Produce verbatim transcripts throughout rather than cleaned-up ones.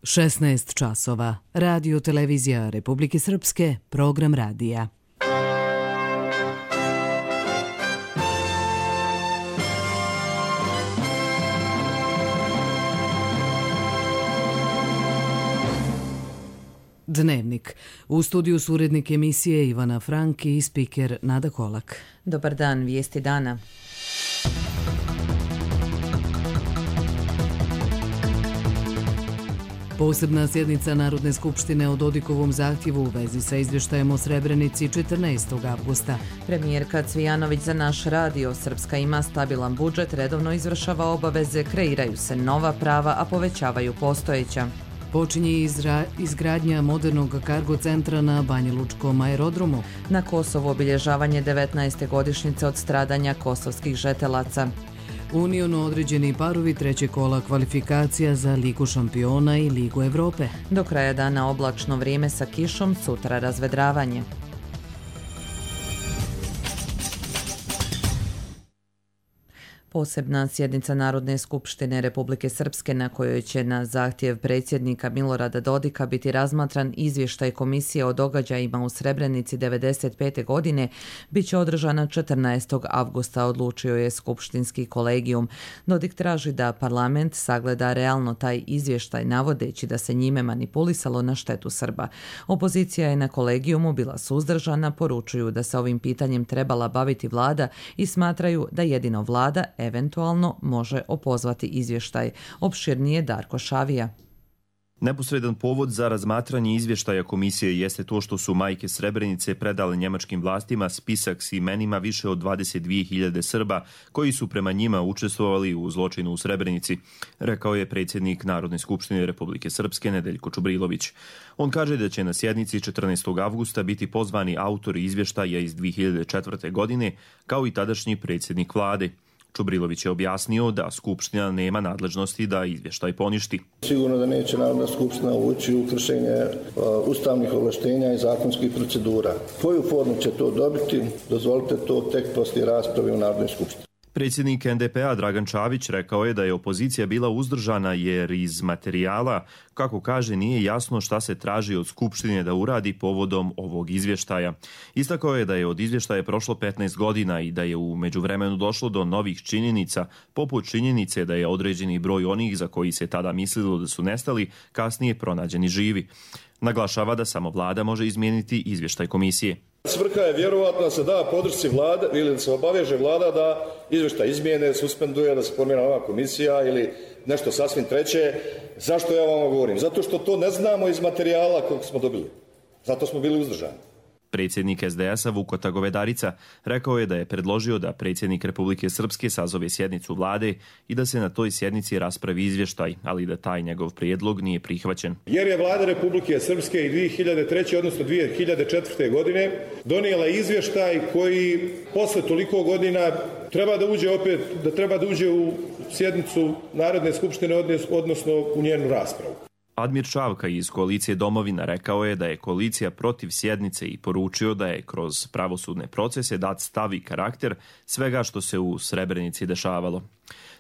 šesnaest časova. Radio televizija Republike Srpske, program radija. Dnevnik. U studiju su urednik emisije Ivana Frank i spiker Nada Kolak. Dobar dan, vijesti dana. Posebna sjednica Narodne skupštine o Dodikovom zahtjevu u vezi sa izvještajem o Srebrenici četrnaestog avgusta. Premijerka Cvijanović za naš radio: Srpska ima stabilan budžet, redovno izvršava obaveze, kreiraju se nova prava, a povećavaju postojeća. Počinje izra, izgradnja modernog kargo centra na Banjalučkom aerodromu. Na Kosovu obilježavanje devetnaeste godišnjice od stradanja kosovskih žetelaca. Uniono određeni parovi treće kola kvalifikacija za Ligu šampiona i Ligu Evrope. Do kraja dana oblačno vrijeme sa kišom, sutra razvedravanje. Posebna sjednica Narodne skupštine Republike Srpske, na kojoj će na zahtjev predsjednika Milorada Dodika biti razmatran izvještaj Komisije o događajima u Srebrenici devedeset pete godine, bit će održana četrnaestog avgusta, odlučio je skupštinski kolegijum. Dodik traži da parlament sagleda realno taj izvještaj, navodeći da se njime manipulisalo na štetu Srba. Opozicija je na kolegijumu bila suzdržana, poručuju da se ovim pitanjem trebala baviti vlada i smatraju da jedino vlada eventualno može opozvati izvještaj. Opširnije Darko Šavija. Neposredan povod za razmatranje izvještaja komisije jeste to što su majke Srebrenice predale njemačkim vlastima spisak s imenima više od dvadeset dvije hiljade Srba koji su prema njima učestvovali u zločinu u Srebrenici, rekao je predsjednik Narodne skupštine Republike Srpske Nedeljko Čubrilović. On kaže da će na sjednici četrnaestog avgusta biti pozvani autori izvještaja iz dvije hiljade četvrte. godine, kao i tadašnji predsjednik vlade. Čubrilović je objasnio da Skupština nema nadležnosti da izvještaj poništi. Sigurno da neće Narodna skupština ući u kršenje uh, ustavnih ovlaštenja i zakonskih procedura. Koju formu će to dobiti, dozvolite to tek poslije rasprave u Narodnoj skupštini. Predsjednik en de pe a Dragan Čavić rekao je da je opozicija bila uzdržana jer iz materijala, kako kaže, nije jasno šta se traži od Skupštine da uradi povodom ovog izvještaja. Istakao je da je od izvještaja prošlo petnaest godina i da je u međuvremenu došlo do novih činjenica, poput činjenice da je određeni broj onih za koji se tada mislilo da su nestali, kasnije pronađeni živi. Naglašava da samo vlada može izmijeniti izvještaj komisije. Svrha je vjerovatno da se da podršci vlade ili da se obaveže vlada da izvještaj izmijene, suspenduje, da se formira nova komisija ili nešto sasvim treće. Zašto ja vam govorim? Zato što to ne znamo iz materijala kojeg smo dobili. Zato smo bili uzdržani. Predsjednik es de es a Vukota Govedarica rekao je da je predložio da predsjednik Republike Srpske sazove sjednicu vlade i da se na toj sjednici raspravi izvještaj, ali da taj njegov prijedlog nije prihvaćen. Jer je vlada Republike Srpske i dvije hiljade treće. odnosno dvije hiljade četvrte. godine donijela izvještaj koji posle toliko godina treba da uđe opet, da treba da uđe u sjednicu Narodne skupštine, odnosno u njenu raspravu. Admir Čavka iz koalicije Domovina rekao je da je koalicija protiv sjednice i poručio da je kroz pravosudne procese dat stav i karakter svega što se u Srebrenici dešavalo.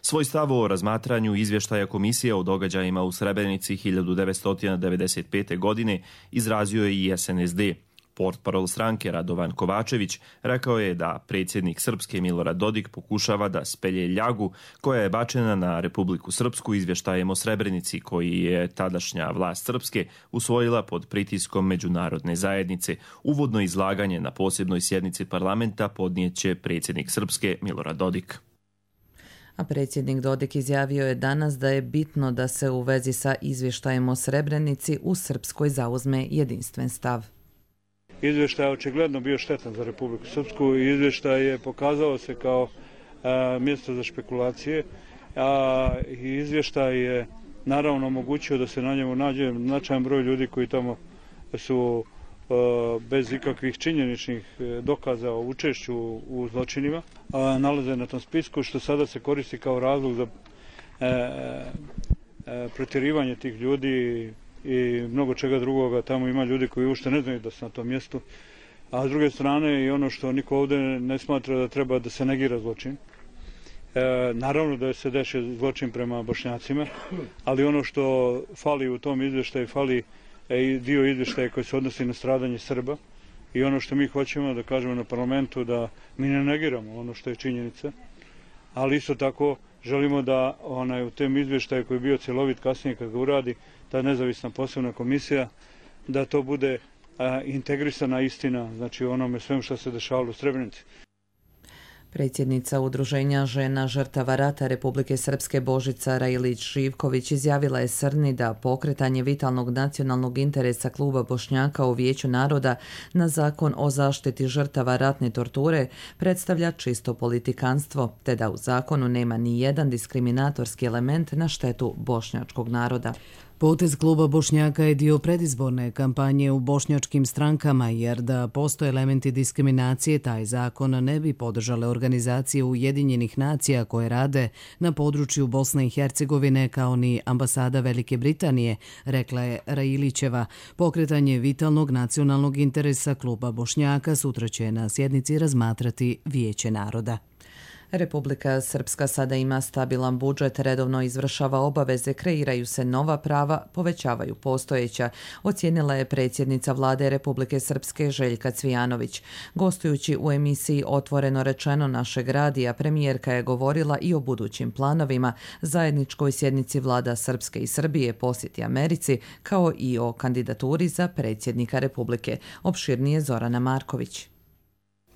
Svoj stav o razmatranju izvještaja komisije o događajima u Srebrenici hiljadu devetsto devedeset pete. godine izrazio je i es en es de. Portparol stranke Radovan Kovačević rekao je da predsjednik Srpske Milorad Dodik pokušava da spelje ljagu koja je bačena na Republiku Srpsku izvještajem o Srebrenici koji je tadašnja vlast Srpske usvojila pod pritiskom međunarodne zajednice. Uvodno izlaganje na posebnoj sjednici parlamenta podnijeće predsjednik Srpske Milorad Dodik. A predsjednik Dodik izjavio je danas da je bitno da se u vezi sa izvještajem o Srebrenici u Srpskoj zauzme jedinstven stav. Izvještaj je očigledno bio štetan za Republiku Srpsku i izvještaj je pokazao se kao a, mjesto za špekulacije, a izvještaj je naravno omogućio da se na njemu nađe značajan broj ljudi koji tamo su a, bez ikakvih činjeničnih dokaza o učešću u zločinima, a, nalaze na tom spisku, što sada se koristi kao razlog za a, a, protjerivanje tih ljudi i mnogo čega drugoga. Tamo ima ljudi koji uopšte ne znaju da su na tom mjestu. A s druge strane i ono što niko ovdje ne smatra da treba da se negira zločin. E, naravno da se dešava zločin prema Bošnjacima, ali ono što fali u tom izvještaju, fali e, dio izvještaja koji se odnosi na stradanje Srba i ono što mi hoćemo da kažemo na parlamentu da mi ne negiramo ono što je činjenica, ali isto tako želimo da onaj, u tem izvještaju koji je bio cjelovit kasnije kad ga uradi ta nezavisna posebna komisija, da to bude a, integrisana istina, znači onome svem što se dešavalo u Srebrenici. Predsjednica Udruženja žena žrtava rata Republike Srpske Božica Rajlić-Živković izjavila je Srni da pokretanje vitalnog nacionalnog interesa kluba Bošnjaka u Vijeću naroda na zakon o zaštiti žrtava ratne torture predstavlja čisto politikanstvo, te da u zakonu nema ni jedan diskriminatorski element na štetu bošnjačkog naroda. Potez kluba Bošnjaka je dio predizborne kampanje u bošnjačkim strankama, jer da postoje elementi diskriminacije, taj zakon ne bi podržale organizacije Ujedinjenih nacija koje rade na području Bosne i Hercegovine kao ni ambasada Velike Britanije, rekla je Rajilićeva. Pokretanje vitalnog nacionalnog interesa kluba Bošnjaka sutra će na sjednici razmatrati Vijeće naroda. Republika Srpska sada ima stabilan budžet, redovno izvršava obaveze, kreiraju se nova prava, povećavaju postojeća, ocijenila je predsjednica vlade Republike Srpske Željka Cvijanović. Gostujući u emisiji Otvoreno rečeno našeg radija, premijerka je govorila i o budućim planovima, zajedničkoj sjednici vlada Srpske i Srbije, posjeti Americi, kao i o kandidaturi za predsjednika Republike. Opširnije Zorana Marković.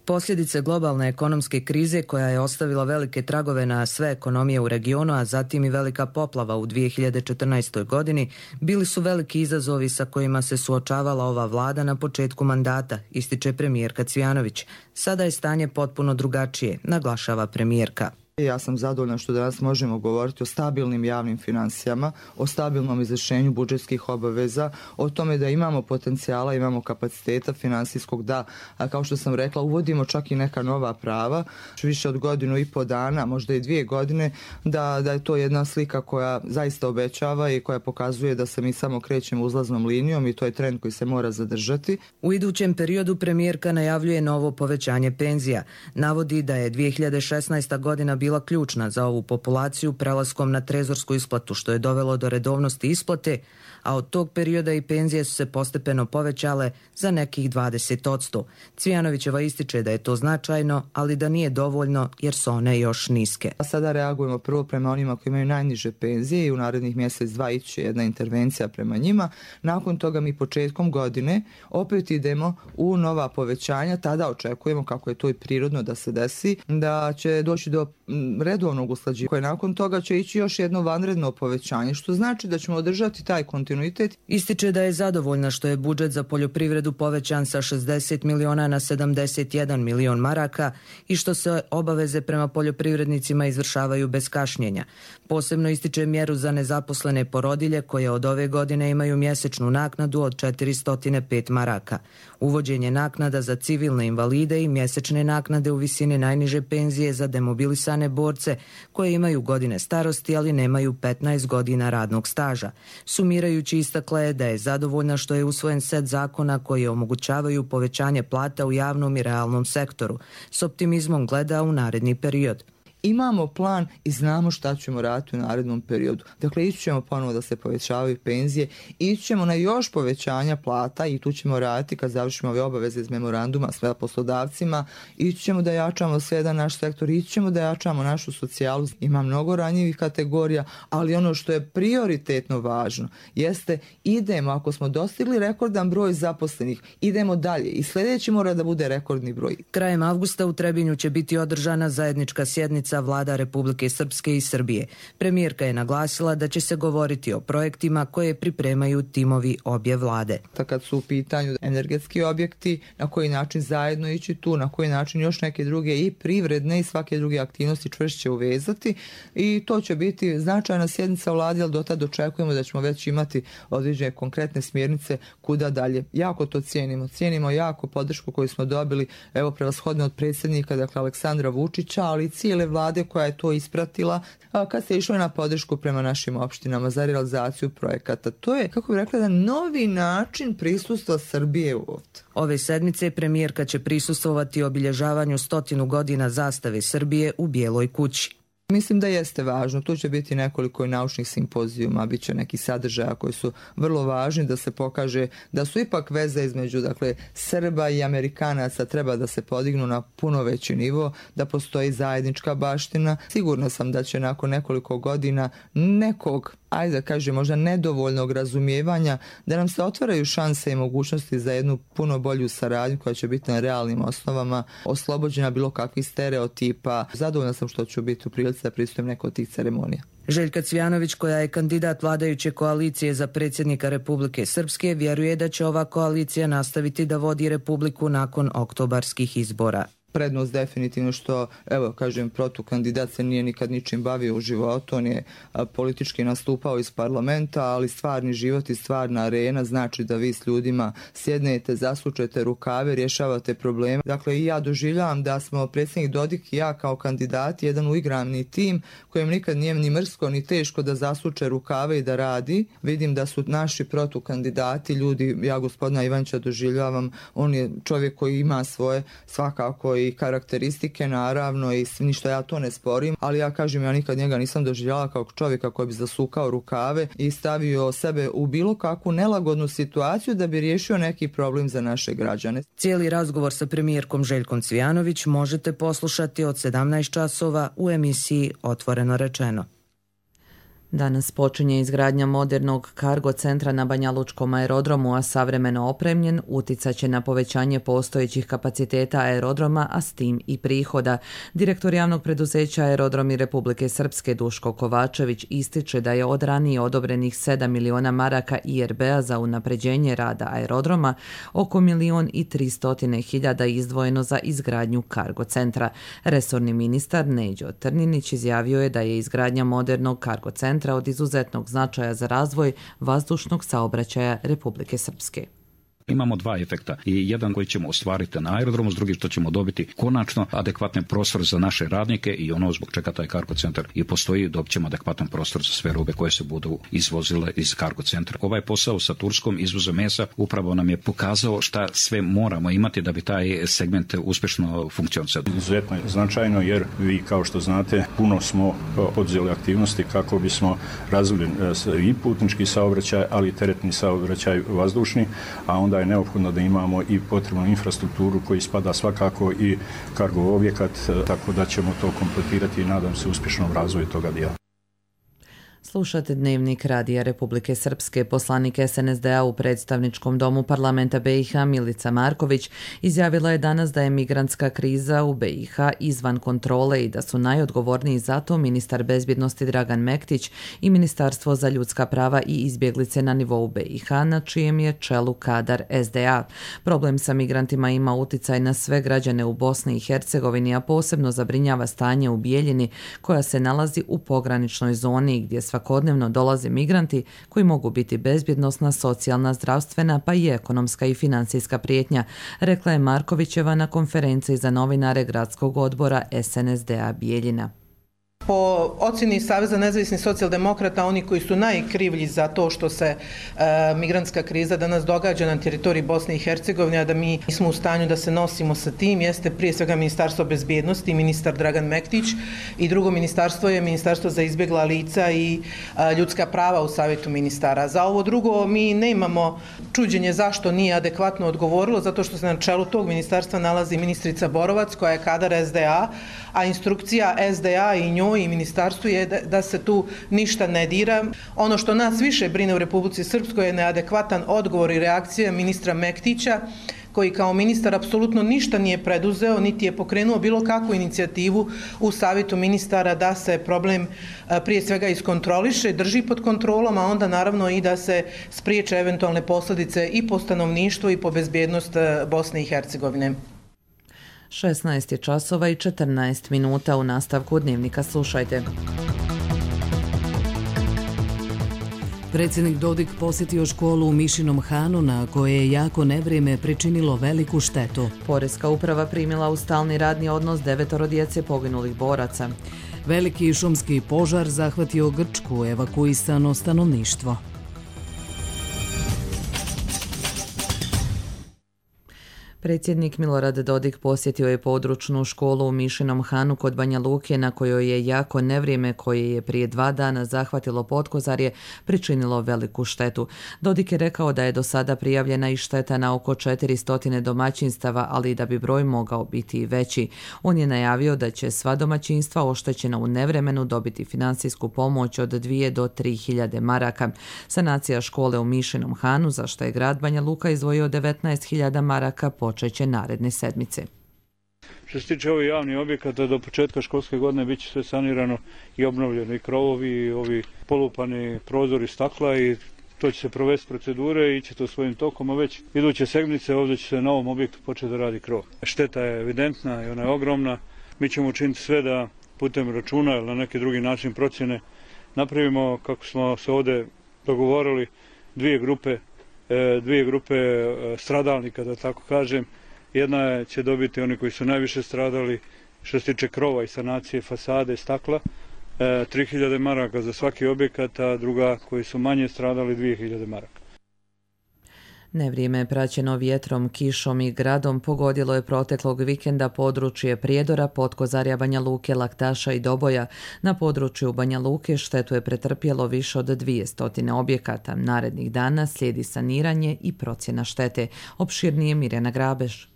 Posljedice globalne ekonomske krize koja je ostavila velike tragove na sve ekonomije u regionu, a zatim i velika poplava u dvije hiljade četrnaestoj. godini, bili su veliki izazovi sa kojima se suočavala ova vlada na početku mandata, ističe premijerka Cvijanović. Sada je stanje potpuno drugačije, naglašava premijerka. Ja sam zadovoljna što danas možemo govoriti o stabilnim javnim financijama, o stabilnom izvršenju budžetskih obaveza, o tome da imamo potencijala, imamo kapaciteta finansijskog, da, a kao što sam rekla, uvodimo čak i neka nova prava, više od godinu i po dana, možda i dvije godine, da, da je to jedna slika koja zaista obećava i koja pokazuje da se mi samo krećemo uzlaznom linijom i to je trend koji se mora zadržati. U idućem periodu premijerka najavljuje novo povećanje penzija. Navodi da je dvije hiljade šesnaesta. godina bila ključna za ovu populaciju prelaskom na trezorsku isplatu, što je dovelo do redovnosti isplate, a od tog perioda i penzije su se postepeno povećale za nekih dvadeset posto. Cvijanovićeva ističe da je to značajno, ali da nije dovoljno jer su one još niske. A sada reagujemo prvo prema onima koji imaju najniže penzije i u narednih mjesec dva ići jedna intervencija prema njima. Nakon toga mi početkom godine opet idemo u nova povećanja, tada očekujemo, kako je to i prirodno da se desi, da će doći do redovnog usklađivanja, koje nakon toga će ići još jedno vanredno povećanje, što znači da ćemo održati taj kontinuitet. Ističe da je zadovoljna što je budžet za poljoprivredu povećan sa šezdeset miliona na sedamdeset jedan milion maraka i što se obaveze prema poljoprivrednicima izvršavaju bez kašnjenja. Posebno ističe mjeru za nezaposlene porodilje koje od ove godine imaju mjesečnu naknadu od četiristo pet maraka. Uvođenje naknada za civilne invalide i mjesečne naknade u visini najniže penzije za demobilisane borce koje imaju godine starosti, ali nemaju petnaest godina radnog staža. Sumirajući, istakla je da je zadovoljna što je usvojen set zakona koji omogućavaju povećanje plata u javnom i realnom sektoru. S optimizmom gleda u naredni period. Imamo plan i znamo šta ćemo raditi u narednom periodu. Dakle, ići ćemo ponovo da se povećavaju penzije, ići ćemo na još povećanja plata i tu ćemo raditi kad završimo ove obaveze iz memoranduma s poslodavcima, ići ćemo da jačamo sve jedan naš sektor, ići ćemo da jačamo našu socijalu. Ima mnogo ranjivih kategorija, ali ono što je prioritetno važno jeste idemo, ako smo dostigli rekordan broj zaposlenih, idemo dalje i sljedeći mora da bude rekordni broj. Krajem avgusta u Trebinju će biti održana zajednička sjednica vlada Republike Srpske i Srbije. Premijerka je naglasila da će se govoriti o projektima koje pripremaju timovi obje vlade. Kad su u pitanju energetski objekti, na koji način zajedno ići tu, na koji način još neke druge i privredne i svake druge aktivnosti čvršće uvezati i to će biti značajna sjednica vlade, ali do tada očekujemo da ćemo već imati određene konkretne smjernice kuda dalje. Jako to cijenimo. Cijenimo jako podršku koju smo dobili, evo prevashodno od predsjednika, dakle Aleksandra Vučića, ali i cijele vlade koja je to ispratila kad se išlo na podršku prema našim opštinama za realizaciju projekata. To je, kako bih rekla, jedan novi način prisustva Srbije ovdje. Ove sedmice premijerka će prisustvovati obilježavanju stotinu godina zastave Srbije u Bijeloj kući. Mislim da jeste važno. Tu će biti nekoliko i naučnih simpozijuma, bit će neki sadržaja koji su vrlo važni da se pokaže da su ipak veze između dakle, Srba i Amerikanaca treba da se podignu na puno veći nivo, da postoji zajednička baština. Sigurna sam da će nakon nekoliko godina nekog, ajde da kažem, možda nedovoljnog razumijevanja, da nam se otvaraju šanse i mogućnosti za jednu puno bolju saradnju koja će biti na realnim osnovama, oslobođena bilo kakvih stereotipa. Zadovoljna sam što ću biti u prilici da pristujem neko od tih ceremonija. Željka Cvijanović, koja je kandidat vladajuće koalicije za predsjednika Republike Srpske, vjeruje da će ova koalicija nastaviti da vodi Republiku nakon oktobarskih izbora. Prednost definitivno što, evo kažem, protukandidat se nije nikad ničim bavio u životu, on je a, politički nastupao iz parlamenta, ali stvarni život i stvarna arena znači da vi s ljudima sjednete, zasučete rukave, rješavate probleme. Dakle, i ja doživljavam da smo predsjednik Dodik i ja kao kandidati jedan uigravni tim kojem nikad nije ni mrsko ni teško da zasuče rukave i da radi. Vidim da su naši protukandidati ljudi, ja gospodina Ivančića doživljavam, on je čovjek koji ima svoje svakako i karakteristike naravno i ništa ja to ne sporim, ali ja kažem ja nikad njega nisam doživjela kao čovjeka koji bi zasukao rukave i stavio sebe u bilo kakvu nelagodnu situaciju da bi riješio neki problem za naše građane. Cijeli razgovor sa premijerkom Željkom Cvijanović možete poslušati od sedamnaest časova u emisiji Otvoreno rečeno. Danas počinje izgradnja modernog kargo centra na Banjalučkom aerodromu, a savremeno opremljen uticat će na povećanje postojećih kapaciteta aerodroma, a s tim i prihoda. Direktor javnog preduzeća Aerodromi Republike Srpske Duško Kovačević ističe da je od ranije odobrenih sedam miliona maraka I R B-a za unapređenje rada aerodroma oko milion i tristotine hiljada izdvojeno za izgradnju kargo centra. Resorni ministar Neđo Trninić izjavio je da je izgradnja modernog kargo centra od izuzetnog značaja za razvoj vazdušnog saobraćaja Republike Srpske. Imamo dva efekta i jedan koji ćemo ostvariti na aerodromu, s drugim što ćemo dobiti konačno adekvatni prostor za naše radnike i ono zbog čega taj kargo centar i postoji, dobit ćemo adekvatan prostor za sve robe koje se budu izvozile iz kargo centra. Ovaj posao sa Turskom izvozom mesa upravo nam je pokazao šta sve moramo imati da bi taj segment uspješno funkcionisao. Izuzetno je značajno jer vi kao što znate puno smo poduzeli aktivnosti kako bismo razvili i putnički saobraćaj, ali i teretni saobraćaj vazdušni, a onda je neophodno da imamo i potrebnu infrastrukturu koji spada svakako i kargo objekat, tako da ćemo to kompletirati i nadam se uspješnom razvoju toga dijela. Slušate Dnevnik Radija Republike Srpske. Poslanik S N S D-a u predstavničkom domu parlamenta B i H Milica Marković izjavila je danas da je migrantska kriza u B i H izvan kontrole i da su najodgovorniji za to ministar bezbjednosti Dragan Mektić i Ministarstvo za ljudska prava i izbjeglice na nivou B i H, na čijem je čelu kadar S D A. Problem sa migrantima ima uticaj na sve građane u Bosni i Hercegovini, a posebno zabrinjava stanje u Bijeljini, koja se nalazi u pograničnoj zoni gdje svakodnevno dolaze migranti koji mogu biti bezbjednosna, socijalna, zdravstvena pa i ekonomska i financijska prijetnja, rekla je Markovićeva na konferenciji za novinare Gradskog odbora S N S D-a Bijeljina. Po ocjeni Saveza nezavisnih socijaldemokrata, oni koji su najkrivlji za to što se e, migrantska kriza danas događa na teritoriji Bosne i Hercegovine, a da mi nismo u stanju da se nosimo sa tim, jeste prije svega Ministarstvo bezbjednosti, ministar Dragan Mektić, i drugo ministarstvo je Ministarstvo za izbjegla lica i a, ljudska prava u Savjetu ministara. Za ovo drugo mi nemamo čuđenje zašto nije adekvatno odgovorilo, zato što se na čelu tog ministarstva nalazi ministrica Borovac, koja je kadar S D A, a instrukcija S D A i njoj i ministarstvu je da, da se tu ništa ne dira. Ono što nas više brine u Republici Srpskoj je neadekvatan odgovor i reakcija ministra Mektića, koji kao ministar apsolutno ništa nije preduzeo, niti je pokrenuo bilo kakvu inicijativu u Savjetu ministara da se problem prije svega iskontroliše, drži pod kontrolom, a onda naravno i da se spriječe eventualne posljedice i po stanovništvo i po bezbjednost Bosne i Hercegovine. šesnaest je časova i četrnaest minuta. U nastavku Dnevnika slušajte. Predsjednik Dodik posjetio školu u Mišinom Hanu, na koje je jako nevrijeme pričinilo veliku štetu. Poreska uprava primila u stalni radni odnos devetoro djece poginulih boraca. Veliki šumski požar zahvatio Grčku, evakuisano stanovništvo. Predsjednik Milorad Dodik posjetio je područnu školu u Mišinom Hanu kod Banja Luke na kojoj je jako nevrijeme koje je prije dva dana zahvatilo Potkozarje pričinilo veliku štetu. Dodik je rekao da je do sada prijavljena i šteta na oko četiristo domaćinstava, ali da bi broj mogao biti i veći. On je najavio da će sva domaćinstva oštećena u nevremenu dobiti financijsku pomoć od dvije do tri hiljade maraka. Sanacija škole u Mišinom Hanu, za što je grad Banja Luka izdvojio devetnaest hiljada maraka, počeće naredne sedmice. Što se tiče ovih javnih objekata, do početka školske godine bit će sve sanirano i obnovljeno, i krovovi, i ovi polupani prozori stakla, i to će se provesti procedure i ići to svojim tokom, a već iduće sedmice ovdje će se na ovom objektu početi da radi krov. Šteta je evidentna i ona je ogromna. Mi ćemo učiniti sve da putem računa ili na neki drugi način procjene napravimo, kako smo se ovdje dogovorili, dvije grupe dvije grupe stradalnika, da tako kažem. Jedna će dobiti oni koji su najviše stradali što se tiče krova i sanacije fasade, stakla, tri hiljade maraka za svaki objekat, a druga koji su manje stradali dvije hiljade maraka. Nevrijeme je praćeno vjetrom, kišom i gradom pogodilo je proteklog vikenda područje Prijedora, Potkozarja, Banja Luke, Laktaša i Doboja. Na području Banja Luke štetu je pretrpjelo više od dvjesto objekata. Narednih dana slijedi saniranje i procjena štete. Opširnije Mirjana Grabeš.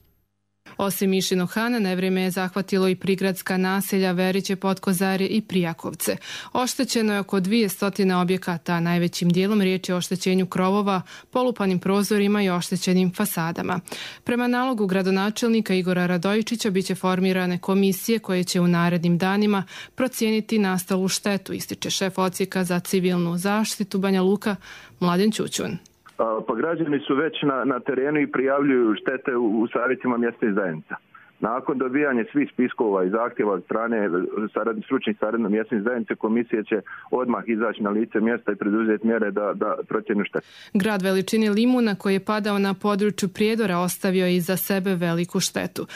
Osim Mišinog Hana, nevrijeme je zahvatilo i prigradska naselja Veriće, Potkozarje i Prijakovce. Oštećeno je oko dvjesto objekata, a najvećim dijelom riječ je o oštećenju krovova, polupanim prozorima i oštećenim fasadama. Prema nalogu gradonačelnika Igora Radojičića biće formirane komisije koje će u narednim danima procijeniti nastalu štetu, ističe šef odsjeka za civilnu zaštitu Banja Luka Mladen Ćućun. Pa građani su već na, na terenu i prijavljuju štete u, u savjetima mjesnih zajednica. Nakon dobijanja svih spiskova i zahtjeva od strane sarad, stručnih saradno mjesnih zajednice, komisija će odmah izaći na lice mjesta i preduzeti mjere da, da procjenu štete. Grad veličine Limuna koji je padao na području Prijedora ostavio je iza sebe veliku štetu.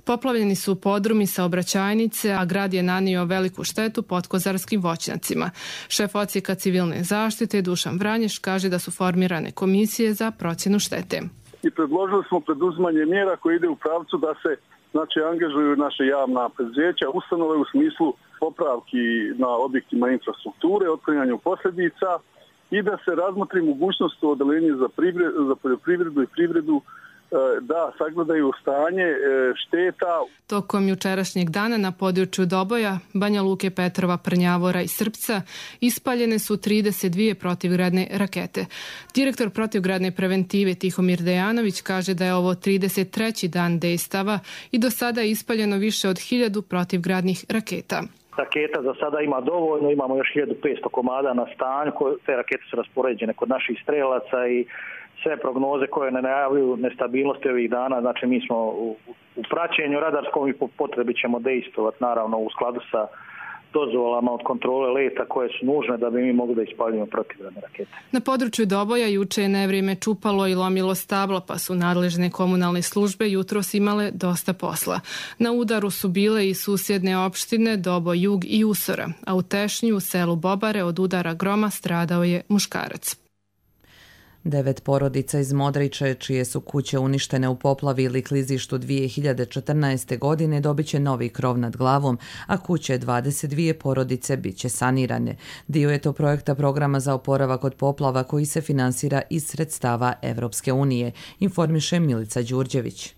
Poplavljeni su podrumi, saobraćajnice, a grad je nanio veliku štetu potkozarskim voćnjacima. Šef odsjeka civilne zaštite Dušan Vranješ kaže da su formirane komisije za procjenu štete. I predložili smo preduzimanje mjera koje ide u pravcu da se znači angažuju naše javna preduzeća, ustanove u smislu popravki na objektima infrastrukture, otklanjanju posljedica i da se razmotri mogućnost odeljenja za, za poljoprivredu i privredu da sagledaju stanje šteta. Tokom jučerašnjeg dana na području Doboja, Banja Luke, Petrova, Prnjavora i Srpca ispaljene su trideset dvije protivgradne rakete. Direktor protivgradne preventive Tihomir Dejanović kaže da je ovo trideset treći dan dejstava i do sada je ispaljeno više od hiljadu protivgradnih raketa. Raketa za sada ima dovoljno, imamo još hiljadu petsto komada na stanju, te rakete su raspoređene kod naših strelaca i sve prognoze koje ne najavljuju nestabilnosti ovih dana, znači mi smo u, u praćenju radarskom i po potrebi ćemo dejstovati naravno u skladu sa dozvolama od kontrole leta koje su nužne da bi mi mogli da ispaljujemo protivgradne rakete. Na području Doboja juče je nevrijeme čupalo i lomilo stabla, pa su nadležne komunalne službe jutros imale dosta posla. Na udaru su bile i susjedne opštine Doboj, Jug i Usora, a u Tešnju u selu Bobare od udara groma stradao je muškarac. Devet porodica iz Modriče, čije su kuće uništene u poplavi ili klizištu dvije hiljade četrnaeste. godine, dobit će novi krov nad glavom, a kuće dvadeset dvije porodice bit će sanirane. Dio je to projekta programa za oporavak od poplava koji se finansira iz sredstava Evropske unije, informiše Milica Đurđević.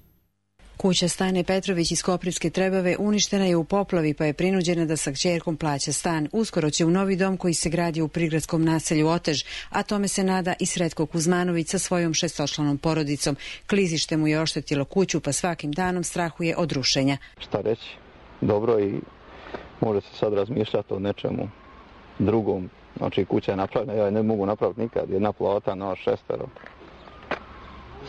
Kuća Stane Petrović iz Koprivske Trebave uništena je u poplavi, pa je prinuđena da sa kćerkom plaća stan. Uskoro će u novi dom koji se gradi u prigradskom naselju Otež, a tome se nada i Sretko Kuzmanović sa svojom šestočlanom porodicom. Klizište mu je oštetilo kuću, pa svakim danom strahuje od rušenja. Šta reći? Dobro, i može se sad razmišljati o nečemu drugom. Znači, kuća je napravljena, ja je ne mogu napraviti nikad. Jedna plata na šestero.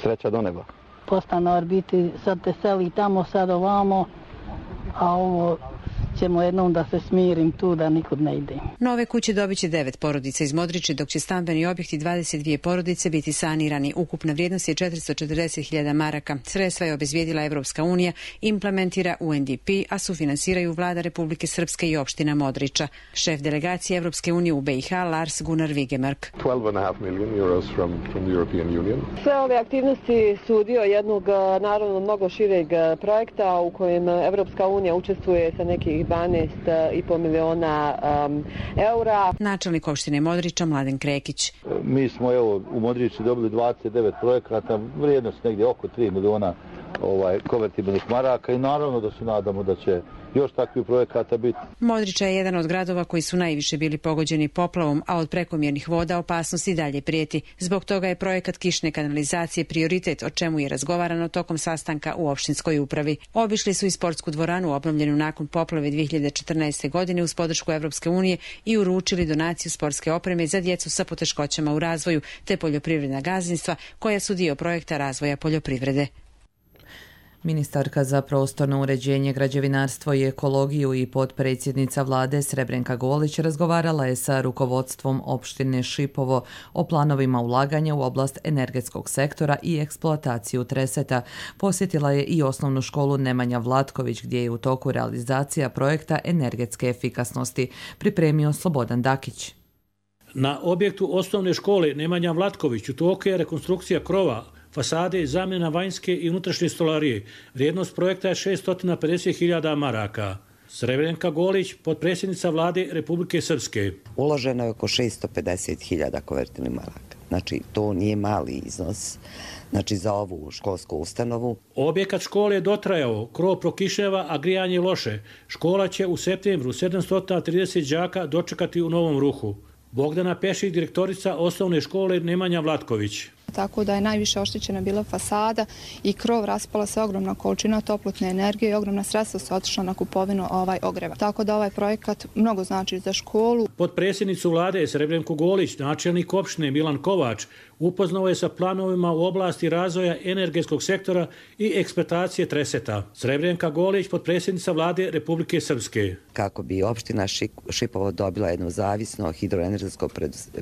Sreća do neba. Postanar biti, sad te seli tamo, sad ovamo, a ovo ćemo jednom da se smirim tu, da nikud ne idem. Nove kuće dobit će devet porodica iz Modriče, dok će stambeni objekti dvadeset dvije porodice biti sanirani. Ukupna vrijednost je četiristo četrdeset hiljada maraka. Sredstva je obezbijedila Evropska unija, implementira U N D P, a sufinansiraju vlada Republike Srpske i opština Modriča. Šef delegacije Evropske unije u B i H Lars Gunnar Vigemark. Sve ove aktivnosti su dio jednog naravno mnogo šireg projekta u kojem Evropska unija učestvuje sa nekih dvanaest i po miliona um, eura. Načelnik opštine Modriča Mladen Krekić. Mi smo evo u Modriči dobili dvadeset devet projekata, vrijednost negdje oko tri miliona ovaj, konvertibilnih maraka i naravno da se nadamo da će još takvih projekata biti. Modriča je jedan od gradova koji su najviše bili pogođeni poplavom, a od prekomjernih voda opasnost i dalje prijeti. Zbog toga je projekat kišne kanalizacije prioritet, o čemu je razgovarano tokom sastanka u opštinskoj upravi. Obišli su i sportsku dvoranu obnovljenu nakon poplave dvije hiljade četrnaeste. godine uz podršku Evropske unije i uručili donaciju sportske opreme za djecu sa poteškoćama u razvoju te poljoprivredna gazdinstva koja su dio projekta razvoja poljoprivrede. Ministarka za prostorno uređenje, građevinarstvo i ekologiju i potpredsjednica vlade Srebrenka Golić razgovarala je sa rukovodstvom opštine Šipovo o planovima ulaganja u oblast energetskog sektora i eksploataciju treseta. Posjetila je i osnovnu školu Nemanja Vlatković gdje je u toku realizacija projekta energetske efikasnosti, pripremio Slobodan Dakić. Na objektu osnovne škole Nemanja Vlatković u toku je rekonstrukcija krova, fasade i zamjena vanjske i unutrašnje stolarije. Vrijednost projekta je šeststo pedeset hiljada maraka. Srebrenka Golić, potpredsjednica vlade Republike Srpske. Uloženo je oko šeststo pedeset hiljada konvertibilnih maraka. Znači, to nije mali iznos. Znači, za ovu školsku ustanovu. Objekat škole je dotrajao, krov prokišnjava, a grijanje loše. Škola će u septembru sedamsto trideset đaka dočekati u novom ruhu. Bogdana Pešik, direktorica osnovne škole Nemanja Vlatković. Tako da je najviše oštećena bila fasada i krov, raspala se ogromna količina toplotne energije i ogromna sredstva su otišla na kupovinu ovaj ogreva. Tako da ovaj projekat mnogo znači za školu. Potpredsjednicu vlade Srebrenku Golić, načelnik opštine Milan Kovač, upoznao je sa planovima u oblasti razvoja energetskog sektora i eksploatacije treseta. Srebrenka Golić, potpredsjednica vlade Republike Srpske. Kako bi opština Šipovo dobila jedno zavisno hidroenergetsko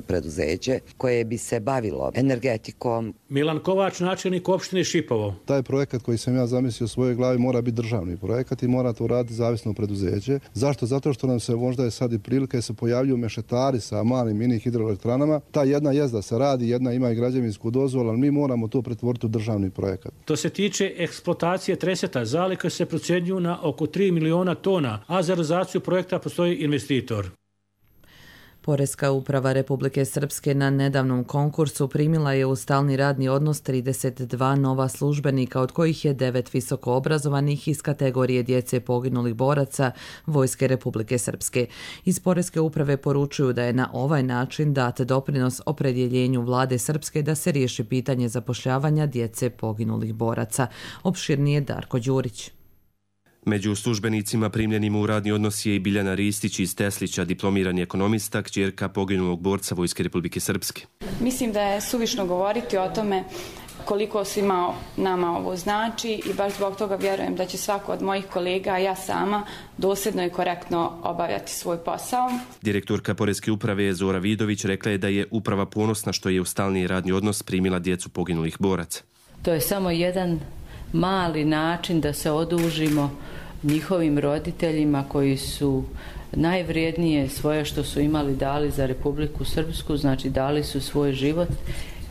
preduzeće koje bi se bavilo energetikom. Milan Kovač, načelnik opštine Šipovo. Taj projekat koji sam ja zamislio u svojoj glavi mora biti državni projekat i mora to raditi zavisno preduzeće. Zašto? Zato što nam se možda je sad i prilika se pojavljuju mešetari sa malim mini hidroelektranama. Ta jedna jezda se radi, jedna ima i građevinsku dozvolu, ali mi moramo to pretvoriti u državni projekat. To se tiče eksploatacije treseta, zalihe se procjenjuju na oko tri miliona tona, a za realizaciju projekta postoji investitor. Poreska uprava Republike Srpske na nedavnom konkursu primila je u stalni radni odnos trideset dva nova službenika, od kojih je devet visoko obrazovanih iz kategorije djece poginulih boraca Vojske Republike Srpske. Iz Poreske uprave poručuju da je na ovaj način dat doprinos opredjeljenju vlade Srpske da se riješi pitanje zapošljavanja djece poginulih boraca. Opširnije Darko Đurić. Među službenicima primljenim u radni odnos je i Biljana Ristić iz Teslića, diplomirani ekonomista, kćerka poginulog borca Vojske Republike Srpske. Mislim da je suvišno govoriti o tome koliko svima nama ovo znači i baš zbog toga vjerujem da će svako od mojih kolega, a ja sama, dosljedno i korektno obavljati svoj posao. Direktorka Poreske uprave Zora Vidović rekla je da je uprava ponosna što je u stalni radni odnos primila djecu poginulih boraca. To je samo jedan mali način da se odužimo njihovim roditeljima koji su najvrijednije svoje što su imali dali za Republiku Srpsku, znači dali su svoj život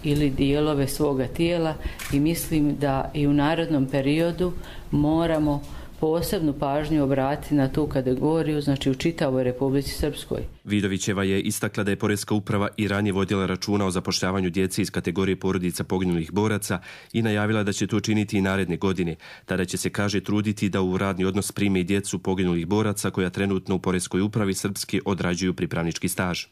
ili dijelove svoga tijela i mislim da i u narednom periodu moramo posebnu pažnju obratiti na tu kategoriju, znači u čitavoj Republici Srpskoj. Vidovićeva je istakla da je Poreska uprava i ranije vodila računa o zapošljavanju djece iz kategorije porodica poginulih boraca i najavila da će to činiti i naredne godine. Tada će se, kaže, truditi da u radni odnos prime i djecu poginulih boraca koja trenutno u Poreskoj upravi Srpske odrađuju pripravnički staž.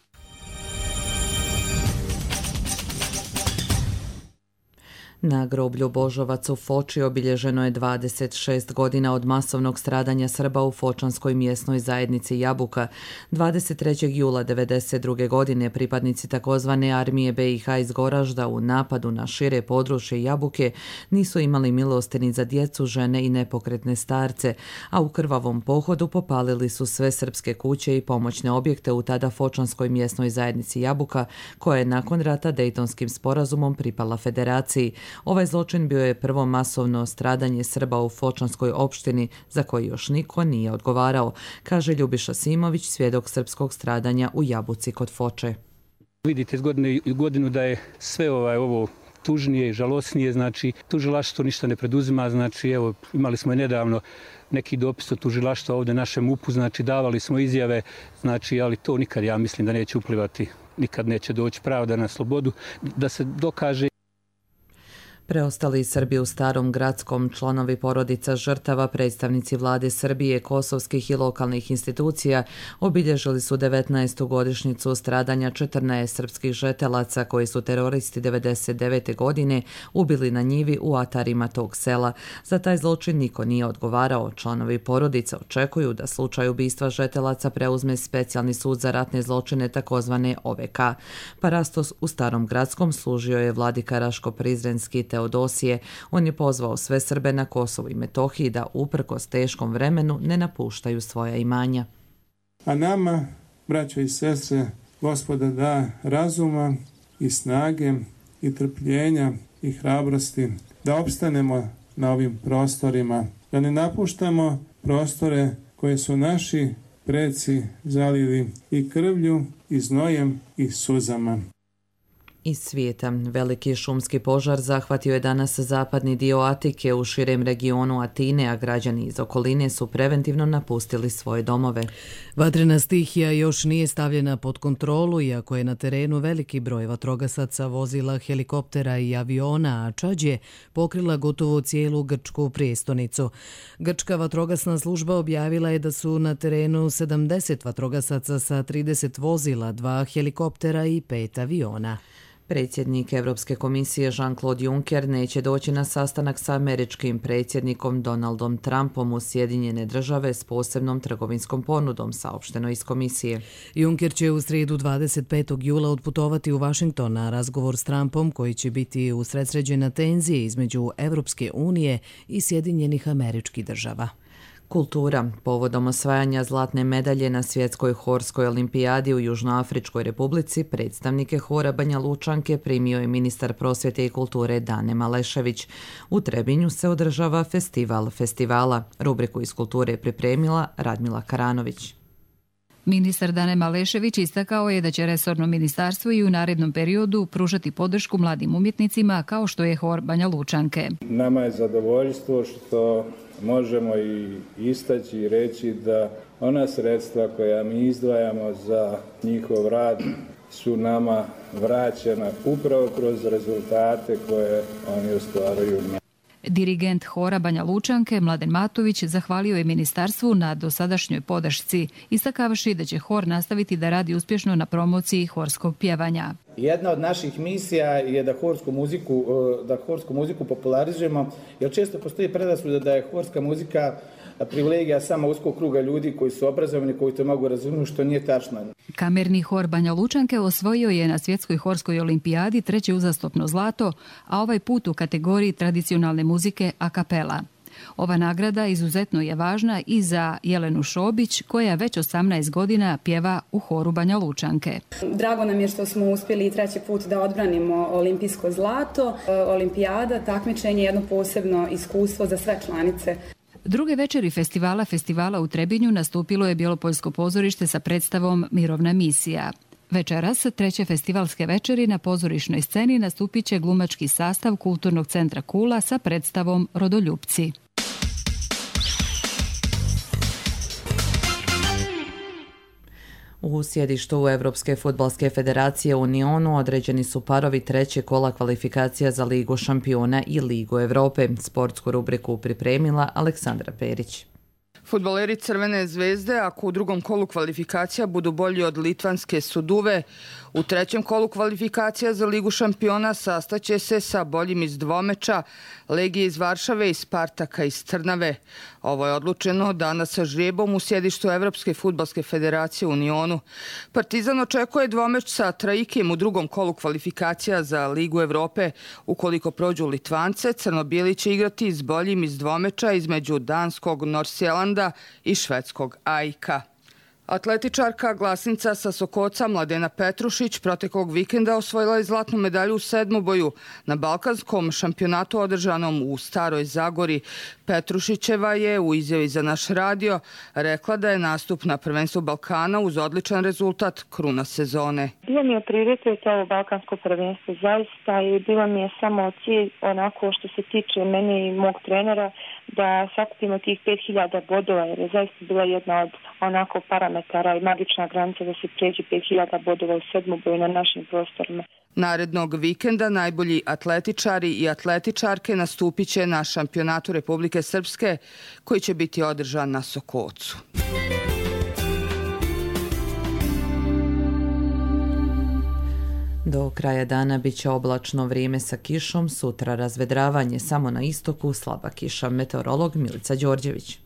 Na groblju Božovac u Foči obilježeno je dvadeset šest godina od masovnog stradanja Srba u fočanskoj mjesnoj zajednici Jabuka. dvadeset trećeg jula devedeset druge. godine pripadnici takozvane armije be i ha iz Goražda u napadu na šire područje Jabuke nisu imali milosti ni za djecu, žene i nepokretne starce, a u krvavom pohodu popalili su sve srpske kuće i pomoćne objekte u tada fočanskoj mjesnoj zajednici Jabuka, koja je nakon rata Dejtonskim sporazumom pripala federaciji. Ovaj zločin bio je prvo masovno stradanje Srba u fočanskoj opštini za koji još niko nije odgovarao, kaže Ljubiša Simović, svjedok srpskog stradanja u Jabuci kod Foče. Vidite iz godine u godinu da je sve ovaj, ovo tužnije i žalosnije, znači tužilaštvo ništa ne preduzima, znači evo imali smo i nedavno neki dopis od tužilaštva ovdje našem U P U, znači davali smo izjave, znači ali to nikad ja mislim da neće uplivati, nikad neće doći pravda na slobodu, da se dokaže. Preostali Srbi u Starom Gradskom, članovi porodica žrtava, predstavnici vlade Srbije, kosovskih i lokalnih institucija obilježili su devetnaestu godišnjicu stradanja četrnaest srpskih žetelaca koji su teroristi devedeset devete. godine ubili na njivi u atarima tog sela. Za taj zločin niko nije odgovarao. Članovi porodica očekuju da slučaj ubistva žetelaca preuzme specijalni sud za ratne zločine takozvane O V K. Parastos u Starom Gradskom služio je vladika Raško-Prizrenski Teodosije. On je pozvao sve Srbe na Kosovu i Metohiji da uprkos teškom vremenu ne napuštaju svoja imanja. A nama, braćo i sestre, Gospoda da razuma i snage i trpljenja i hrabrosti da opstanemo na ovim prostorima, da ne napuštamo prostore koje su naši preci zalili i krvlju i znojem i suzama. Iz svijeta. Veliki šumski požar zahvatio je danas zapadni dio Atike u širem regionu Atine, a građani iz okoline su preventivno napustili svoje domove. Vatrena stihija još nije stavljena pod kontrolu, iako je na terenu veliki broj vatrogasaca, vozila, helikoptera i aviona, a čađ je pokrila gotovo cijelu grčku prijestonicu. Grčka vatrogasna služba objavila je da su na terenu sedamdeset vatrogasaca sa trideset vozila, dva helikoptera i pet aviona. Predsjednik Europske komisije Jean-Claude Juncker neće doći na sastanak sa američkim predsjednikom Donaldom Trumpom u Sjedinjene države s posebnom trgovinskom ponudom, saopšteno iz komisije. Juncker će u srijedu dvadeset petog jula odputovati u Washington na razgovor s Trumpom, koji će biti usredsređena tenzije između Europske unije i Sjedinjenih američkih država. Kultura. Povodom osvajanja zlatne medalje na svjetskoj horskoj olimpijadi u Južnoafričkoj republici, predstavnike hora Banja Lučanke primio je ministar prosvjete i kulture Dane Malešević. U Trebinju se održava festival festivala. Rubriku iz kulture je pripremila Radmila Karanović. Ministar Dane Malešević istakao je da će resorno ministarstvo i u narednom periodu pružati podršku mladim umjetnicima kao što je hor Banja Lučanke. Nama je zadovoljstvo što možemo i istaći i reći da ona sredstva koja mi izdvajamo za njihov rad su nama vraćena upravo kroz rezultate koje oni ostvaruju. Dirigent hora Banja Lučanke Mladen Matović zahvalio je ministarstvu na dosadašnjoj podršci, istakavši da će hor nastaviti da radi uspješno na promociji horskog pjevanja. Jedna od naših misija je da horsku muziku, da horsku muziku popularizujemo, jer često postoji predrasuda da je horska muzika privilegija samo uskog kruga ljudi koji su obrazovani, koji to mogu razumjeti, što nije tačno. Kamerni hor Banja Lučanke osvojio je na svjetskoj horskoj olimpijadi treće uzastopno zlato, a ovaj put u kategoriji tradicionalne muzike a kapela. Ova nagrada izuzetno je važna i za Jelenu Šobić, koja već osamnaest godina pjeva u horu Banja Lučanke. Drago nam je što smo uspjeli treći put da odbranimo olimpijsko zlato. Olimpijada, takmičenje je jedno posebno iskustvo za sve članice. Druge večeri festivala festivala u Trebinju nastupilo je Bjelopoljsko pozorište sa predstavom Mirovna misija. Večeras, treće festivalske večeri, na pozorišnoj sceni nastupit će glumački sastav Kulturnog centra Kula sa predstavom Rodoljupci. U sjedištu Evropske fudbalske federacije u Unionu određeni su parovi treće kola kvalifikacija za Ligu šampiona i Ligu Evrope. Sportsku rubriku pripremila Aleksandra Perić. Fudbaleri Crvene zvezde, ako u drugom kolu kvalifikacija budu bolji od litvanske Suduve, U trećem kolu kvalifikacija za Ligu šampiona sastaće se sa boljim iz dvomeča, Legije iz Varšave i Spartaka iz Trnave. Ovo je odlučeno danas sa žrijebom u sjedištu Evropske fudbalske federacije u Unionu. Partizan očekuje dvomeč sa Traikim u drugom kolu kvalifikacija za Ligu Evrope. Ukoliko prođu Litvance, crno-bijeli će igrati s boljim iz dvomeča između danskog Norsjelanda i švedskog Ajka. Atletičarka glasnica sa Sokoca Mladena Petrušić proteklog vikenda osvojila je zlatnu medalju u sedmoboju na balkanskom šampionatu održanom u Staroj Zagori. Petrušićeva je u izjavi za naš radio rekla da je nastup na prvenstvu Balkana uz odličan rezultat kruna sezone. Bilo mi je prioritet ovo balkansko prvenstvo zaista i bilo mi je samo cilj onako što se tiče mene i mog trenera da sakupimo tih pet hiljada bodova jer je zaista bila jedna od onako parametara i magična granica da se pređe pet hiljada bodova u sedmoboju na našim prostorima. Narednog vikenda najbolji atletičari i atletičarke nastupit će na šampionatu Republike Srpske koji će biti održan na Sokocu. Do kraja dana bit će oblačno vrijeme sa kišom, sutra razvedravanje, samo na istoku slaba kiša. Meteorolog Milica Đorđević.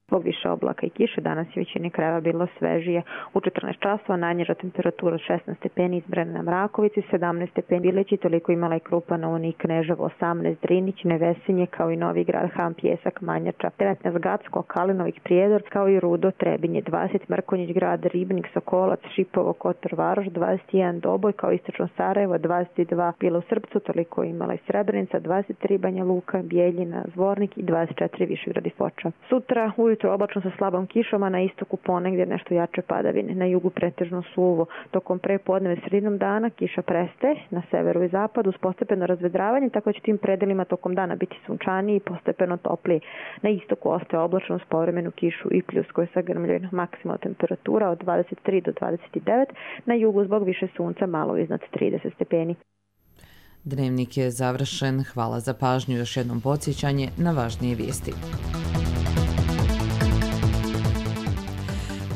Zbog više oblaka i kiše danas je većini krajeva bilo svežije. U četrnaest časova najniža temperatura od šesnaest stepeni izmjerena na Mrakovici, sedamnaest stepeni Bileći, toliko imala i Krupa, Novi, Kneževo, osamnaest Drinić, Nevesinje, kao i Novi Grad, Han, Pjesak, Manjača, devetnaest Gacko, Kalinovik, Prijedor, kao i Rudo, Trebinje, dvadeset Mrkonjić Grad, Ribnik, Sokolac, Šipovo, Kotor, Varoš, dvadeset jedan Doboj, kao istočno Sarajevo, dvadeset dva Bilo u Srpcu, toliko imala i Srebrenica, dvadeset tri Banja Luka, Bijeljina, Zvornik i dvadeset četiri Višegrad i Foča. Sutra ujutro oblačno sa slabom kišom, a na istoku ponegdje nešto jače padavine, na jugu pretežno suvo. Tokom prepodneva i sredinom dana kiša prestaje, na severu i zapadu uz postepeno razvedravanje, tako će tim predelima tokom dana biti sunčaniji i postepeno topliji. Na istoku ostaje oblačno uz povremenu kišu i pljusko je sagrmljeno. Maksimalna temperatura od dvadeset tri do dvadeset devet, na jugu zbog više sunca malo iznad trideset stepeni. Dnevnik je završen. Hvala za pažnju. Još jednom podsjećanje na važnije vijesti.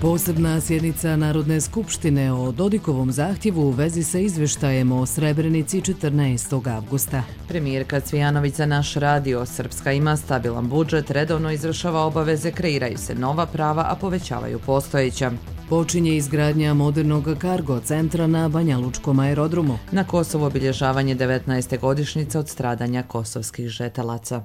Posebna sjednica Narodne skupštine o Dodikovom zahtjevu u vezi sa izvještajem o Srebrenici četrnaestog avgusta. Premijerka Cvijanović za naš radio. Srpska ima stabilan budžet, redovno izvršava obaveze, kreiraju se nova prava, a povećavaju postojeća. Počinje izgradnja modernog kargo centra na Banjalučkom aerodromu. Na Kosovo obilježavanje devetnaeste godišnjice od stradanja kosovskih žetelaca.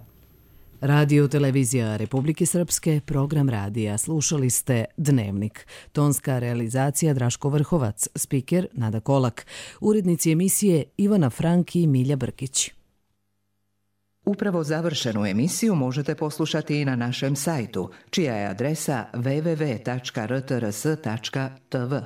Radio televizija Republike Srpske, program radija. Slušali ste Dnevnik. Tonska realizacija Draško Vrhovac, spiker Nada Kolak, urednici emisije Ivana Frank i Milja Brkić. Upravo završenu emisiju možete poslušati i na našem sajtu, čija je adresa w w w tačka r t r s tačka t v.